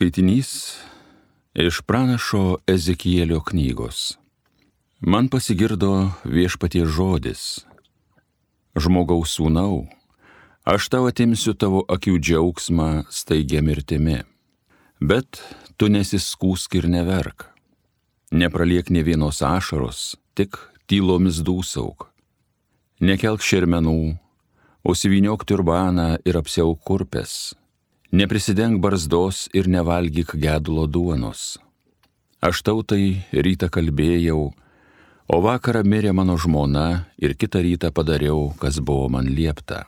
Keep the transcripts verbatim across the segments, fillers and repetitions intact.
Skaitinys iš pranašo Ezekielio knygos. Man pasigirdo Viešpaties žodis. Žmogaus sūnau, aš tau atimsiu tavo akių džiaugsmą staigia mirtimi. Bet tu nesiskūsk ir neverk. Nepraliek nė vienos ašaros, tik tylomis dūsauk. Nekelk šermenų, užsivyniok turbaną ir apsiauk kurpes. Neprisidenk barzdos ir nevalgyk gedulo duonos. Aš tau tai rytą kalbėjau, o vakarą mirė mano žmona ir kitą rytą padariau, kas buvo man liepta.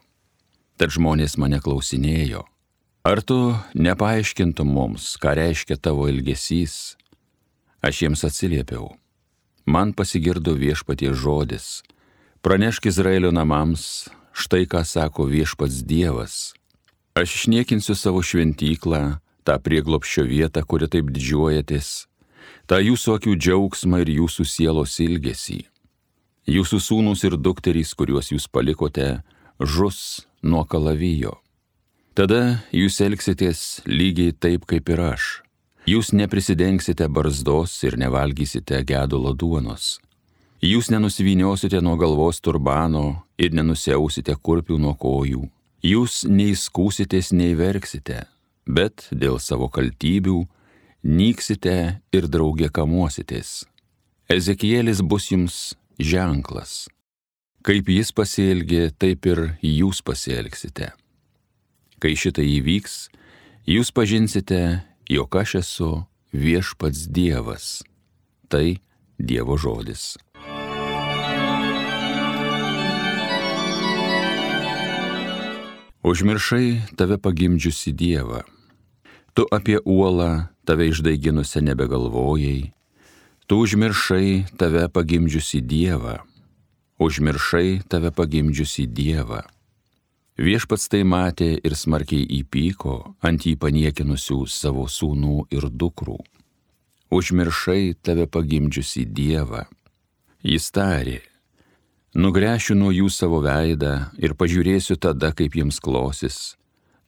Tad žmonės mane klausinėjo, ar tu nepaaiškintum mums, ką reiškia tavo ilgesys? Aš jiems atsiliepiau, man pasigirdo Viešpaties žodis. Pranešk Izraelio namams, štai ką sako Viešpats Dievas. Aš išniekinsiu savo šventyklą, tą prieglobsčio vietą, kuri taip didžiuojatės, tą jūsų akių džiaugsmą ir jūsų sielos ilgesį. Jūsų sūnūs ir dukterys, kuriuos jūs palikote, žus nuo kalavijo. Tada jūs elgsitės lygiai taip, kaip ir aš. Jūs neprisidengsite barzdos ir nevalgysite gedulo duonos. Jūs nenusivyniosite nuo galvos turbano ir nenusiausite kurpių nuo kojų. Jūs neįskūsitės, nei verksite, bet dėl savo kaltybių nyksite ir drauge kamuositės. Ezekielis bus jums ženklas. Kaip jis pasielgė, taip ir jūs pasielgsite. Kai šitai įvyks, jūs pažinsite, jog aš esu Viešpats Dievas. Tai Dievo žodis. Užmiršai tave pagimdžiusi Dievą. Tu apie uolą tave išdaiginusią nebegalvojai. Tu užmiršai tave pagimdžiusi Dievą. Užmiršai tave pagimdžiusi Dievą. Viešpats tai matė ir smarkiai įpyko ant jį paniekinusių savo sūnų ir dukrų. Užmiršai tave pagimdžiusi Dievą. Jis tarė, nugręšiu nuo jų savo veidą ir pažiūrėsiu tada, kaip jiems klosis.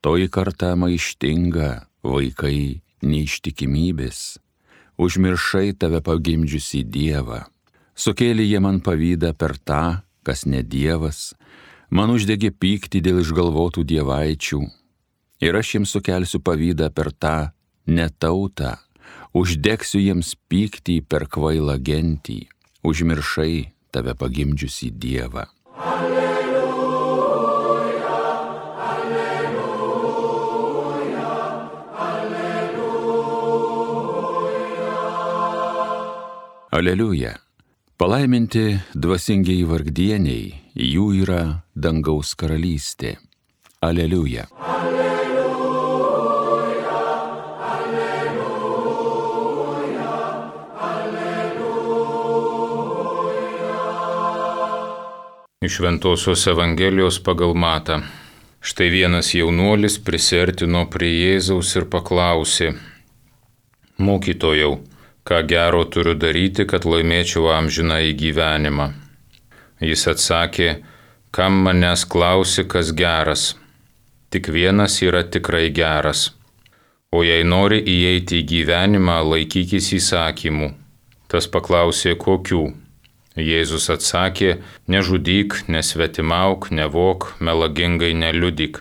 Toji karta maištinga, vaikai neištikimybės. Užmiršai tave pagimdžiusi Dievą. Sukėlė jie man pavydą per tą, kas ne Dievas, man uždegė pyktį dėl išgalvotų dievaičių. Ir aš jiems sukelsiu pavydą per tą netautą, uždegsiu jiems pyktį per kvailą gentį. Užmiršai tave pagimdžiusi Dievą. Alleluja, alleluja, alleluja. Aleliuja. Palaiminti dvasingiai vargdieniai, jų yra dangaus karalystė. Aleliuja. Alleluja, alleluja, alleluja. Iš Šventosios Evangelijos pagal Matą. Štai vienas jaunuolis prisiartino prie Jėzaus ir paklausė, mokytojau, ką gero turiu daryti, kad laimėčiau amžinąjį gyvenimą. Jis atsakė, kam manęs klausi, kas geras? Tik vienas yra tikrai geras. O jei nori įeiti į gyvenimą, laikykis įsakymų. Tas paklausė, kokių? Jėzus atsakė, nežudyk, nesvetimauk, nevok, melagingai neliudyk.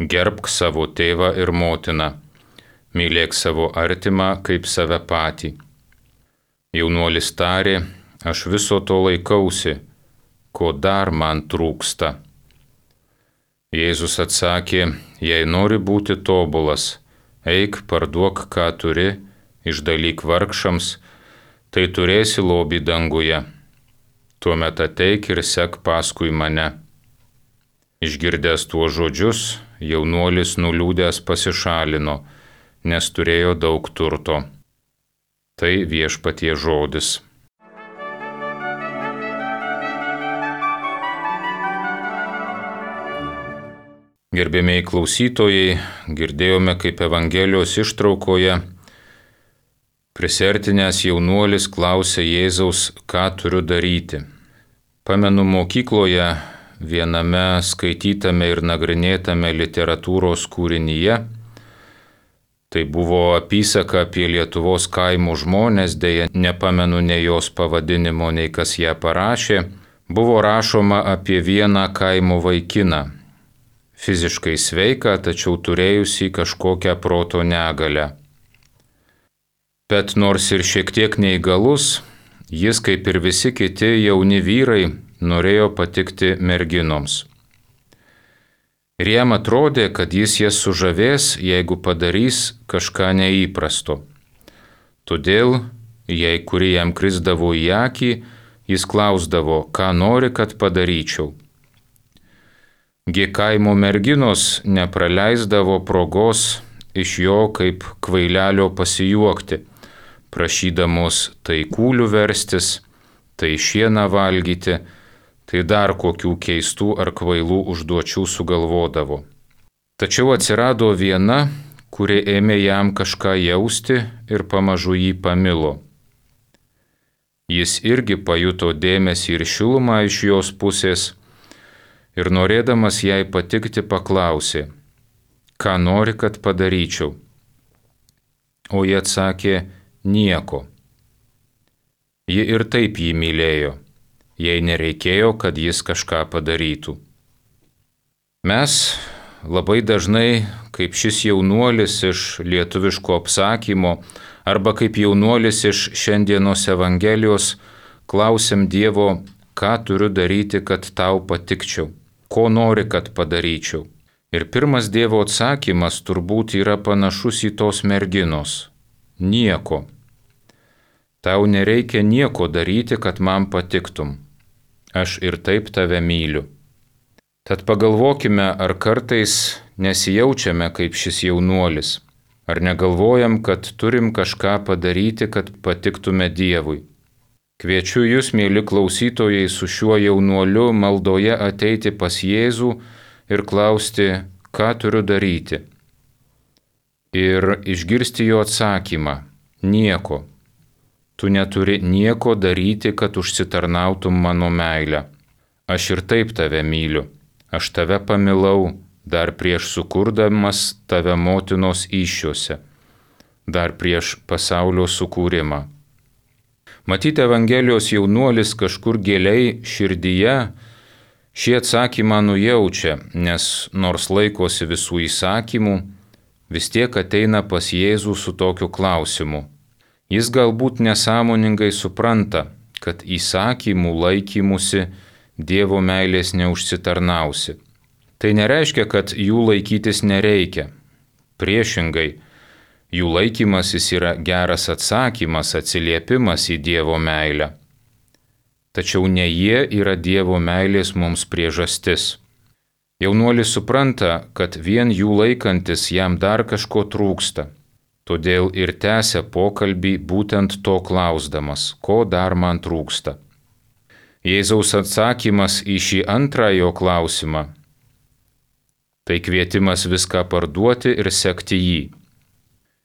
Gerbk savo tėvą ir motiną. Mylėk savo artimą kaip save patį. Jaunuolis tarė, aš viso to laikausi, ko dar man trūksta. Jėzus atsakė, jei nori būti tobulas, eik, parduok, ką turi, išdalyk vargšams, tai turėsi lobį danguje. Tuomet ateik ir sek paskui mane. Išgirdęs tuos žodžius, jaunuolis nuliūdęs pasišalino, nes turėjo daug turto. Tai Viešpaties žodis. Gerbėmiai klausytojai, girdėjome, kaip Evangelijos ištraukoje prisiartinęs jaunuolis klausė Jėzaus, ką turiu daryti. Pamenu mokykloje viename skaitytame ir nagrinėtame literatūros kūrinyje Tai buvo apysaka apie Lietuvos kaimų žmonės, dėja nepamenu nei jos pavadinimo, nei kas ją parašė. Buvo rašoma apie vieną kaimo vaikiną, fiziškai sveiką, tačiau turėjusį kažkokią proto negalę. Bet nors ir šiek tiek neįgalus, jis, kaip ir visi kiti jauni vyrai, norėjo patikti merginoms. Ir jam atrodė, kad jis jas sužavės, jeigu padarys kažką neįprasto. Todėl, jei kuri jam krisdavo į akį, jis klausdavo, ką nori, kad padaryčiau. Gi kaimo merginos nepraleisdavo progos iš jo kaip kvailelio pasijuokti, prašydamos tai kūlių verstis, tai šieną valgyti, tai dar kokių keistų ar kvailų užduočių sugalvodavo. Tačiau atsirado viena, kuri ėmė jam kažką jausti ir pamažu jį pamilo. Jis irgi pajuto dėmesį ir šilumą iš jos pusės ir norėdamas jai patikti paklausė, ką nori, kad padaryčiau. O ji atsakė, nieko. Ji ir taip jį mylėjo, jei nereikėjo, kad jis kažką padarytų. Mes labai dažnai, kaip šis jaunuolis iš lietuviško apsakymo, arba kaip jaunuolis iš šiandienos Evangelijos, klausiam Dievo, ką turiu daryti, kad tau patikčiau, ko nori, kad padaryčiau. Ir pirmas Dievo atsakymas turbūt yra panašus į tos merginos. Nieko. Tau nereikia nieko daryti, kad man patiktum. Aš ir taip tave myliu. Tad pagalvokime, ar kartais nesijaučiame kaip šis jaunuolis, ar negalvojam, kad turim kažką padaryti, kad patiktume Dievui. Kviečiu jūs, mėly klausytojai, su šiuo jaunuoliu maldoje ateiti pas Jėzų ir klausti, ką turiu daryti. Ir išgirsti jo atsakymą, nieko. Tu neturi nieko daryti, kad užsitarnautum mano meilę. Aš ir taip tave myliu. Aš tave pamilau dar prieš sukurdamas tave motinos įsčiose, dar prieš pasaulio sukūrimą. Matyti Evangelijos jaunuolis kažkur giliai širdyje šį atsakymą nujaučia, nes nors laikosi visų įsakymų, vis tiek ateina pas Jėzų su tokiu klausimu. Jis galbūt nesąmoningai supranta, kad įsakymų laikymusi Dievo meilės neužsitarnausi. Tai nereiškia, kad jų laikytis nereikia. Priešingai, jų laikymasis yra geras atsakymas, atsiliepimas į Dievo meilę. Tačiau ne jie yra Dievo meilės mums priežastis. Jaunuolis supranta, kad vien jų laikantis jam dar kažko trūksta. Todėl ir tęsia pokalbį būtent to klausdamas, ko dar man trūksta. Jėzaus atsakymas į šį antrą jo klausimą – tai kvietimas viską parduoti ir sekti jį.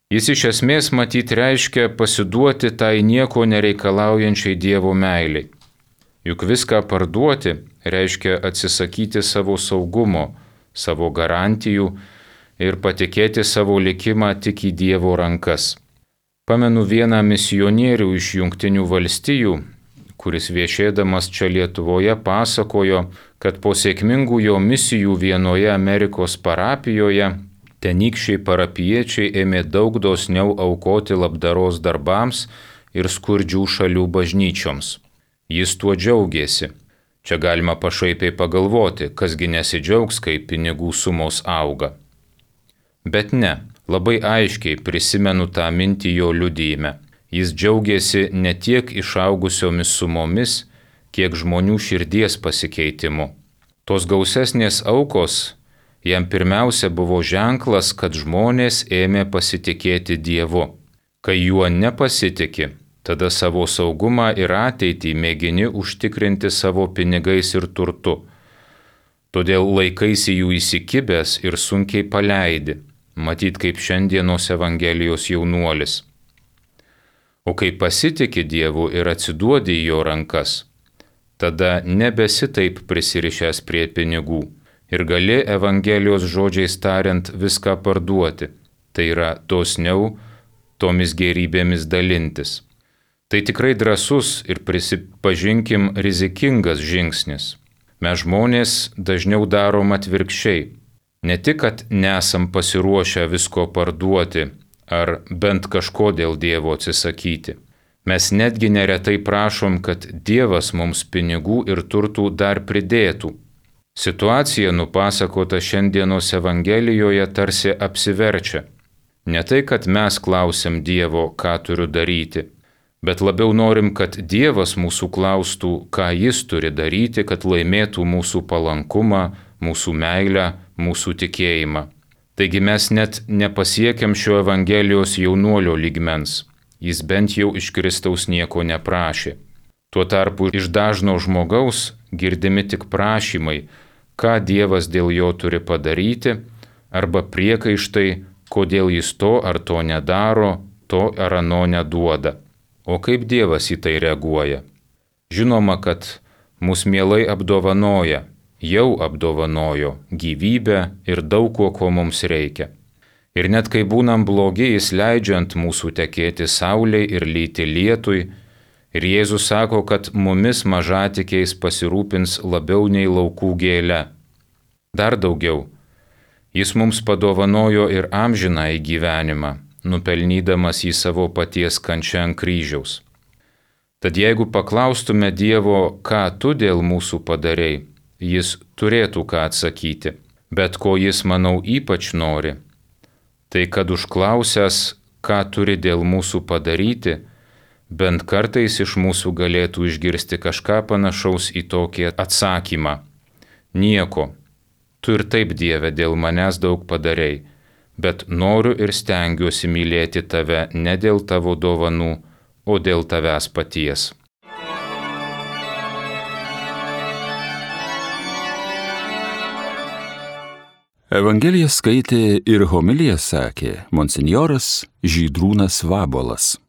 Jis iš esmės matyt reiškia pasiduoti tai nieko nereikalaujančiai Dievo meiliai. Juk viską parduoti reiškia atsisakyti savo saugumo, savo garantijų ir patikėti savo likimą tik į Dievo rankas. Pamenu vieną misionierių iš Jungtinių valstijų, kuris viešėdamas čia Lietuvoje pasakojo, kad po sėkmingų jo misijų vienoje Amerikos parapijoje tenykščiai parapiečiai ėmė daug dosniau aukoti labdaros darbams ir skurdžių šalių bažnyčioms. Jis tuo džiaugėsi. Čia galima pašaipiai pagalvoti, kasgi nesidžiaugs, kai pinigų sumos auga. Bet ne, labai aiškiai prisimenu tą mintį jo liudijime. Jis džiaugėsi ne tiek išaugusiomis sumomis, kiek žmonių širdies pasikeitimu. Tos gausesnės aukos jam pirmiausia buvo ženklas, kad žmonės ėmė pasitikėti Dievu. Kai juo nepasitiki, tada savo saugumą ir ateitį mėgini užtikrinti savo pinigais ir turtu. Todėl laikaisi jų įsikibęs ir sunkiai paleidi, matyt kaip šiandienos Evangelijos jaunuolis. O kai pasitiki Dievu ir atsiduodi į jo rankas, tada nebesi taip prisirišęs prie pinigų ir gali Evangelijos žodžiais tariant viską parduoti, tai yra dosniau tomis gėrybėmis dalintis. Tai tikrai drąsus ir prisipažinkim rizikingas žingsnis. Mes žmonės dažniau darom atvirkščiai. Ne tik, kad nesam pasiruošę visko parduoti ar bent kažko dėl Dievo atsisakyti. Mes netgi neretai prašom, kad Dievas mums pinigų ir turtų dar pridėtų. Situacija nupasakota šiandienos Evangelijoje tarsi apsiverčia. Ne tai, kad mes klausim Dievo, ką turiu daryti, bet labiau norim, kad Dievas mūsų klaustų, ką Jis turi daryti, kad laimėtų mūsų palankumą, mūsų meilę, mūsų tikėjimą. Taigi mes net nepasiekiam šio Evangelijos jaunuolio lygmens. Jis bent jau iš Kristaus nieko neprašė. Tuo tarpu iš dažno žmogaus girdimi tik prašymai, ką Dievas dėl jo turi padaryti, arba priekaištai, kodėl jis to ar to nedaro, to ar ano neduoda. O kaip Dievas į tai reaguoja? Žinoma, kad mus mielai apdovanoja, jau apdovanojo gyvybę ir daug ko, ko mums reikia. Ir net kai būnam blogi, Jis leidžia ant mūsų tekėti saulei ir lyti lietui, ir Jėzus sako, kad mumis mažatikiais pasirūpins labiau nei laukų gėle. Dar daugiau, Jis mums padovanojo ir amžinąjį gyvenimą, nupelnydamas jį savo paties kančią ant kryžiaus. Tad jeigu paklaustume Dievo, ką tu dėl mūsų padarei, Jis turėtų ką atsakyti, bet ko Jis, manau, ypač nori, tai kad užklausęs, ką turi dėl mūsų padaryti, bent kartais iš mūsų galėtų išgirsti kažką panašaus į tokį atsakymą. Nieko, tu ir taip, Dieve, dėl manęs daug padarei, bet noriu ir stengiuosi mylėti tave ne dėl tavo dovanų, o dėl tavęs paties. Evangeliją skaitė ir homiliją sakė monsinjoras Žydrūnas Vabolas.